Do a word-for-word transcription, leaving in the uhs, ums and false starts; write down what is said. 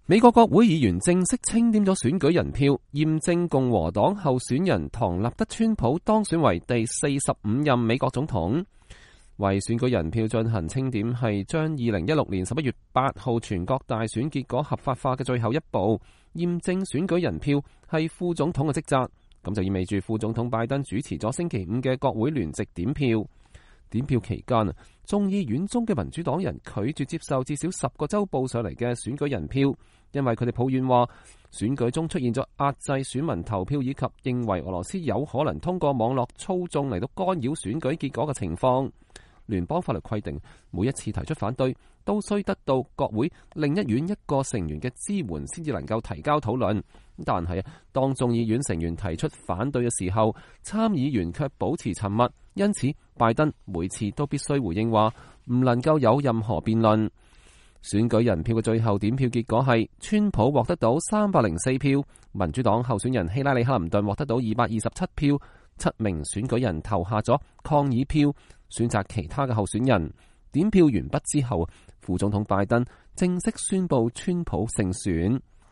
美國國會議員正式清點咗選舉人票，驗證共和黨候選人唐納德川普當選為第四十五任美國總統。為選舉人票進行清點係將二零一六年十一月八號全國大選結果合法化嘅最後一步。驗證選舉人票係副總統嘅職責，咁就意味住副總統拜登主持咗星期五嘅國會聯席點票。點票期間，眾議院中嘅民主黨人拒絕接受至少十個州報上嚟嘅選舉人票，因為佢哋抱怨話選舉中出現咗壓制選民投票以及認為俄羅斯有可能通過網絡操縱嚟到干擾選舉結果嘅情況。聯邦法律規定，每一次提出反對都需得到國會另一院一個成員嘅支援先至能夠提交討論。但係當眾議院成員提出反對嘅時候，參議員卻保持沉默，因此拜登每次都必須回應話唔能夠有任何辯論。選舉人票嘅最後點票結果係，川普獲得到三百零四票，民主黨候選人希拉里克林頓獲得到二百二十七票，七名選舉人投下咗抗議票，選擇其他嘅候選人。點票完畢之後，副總統拜登正式宣布川普勝選。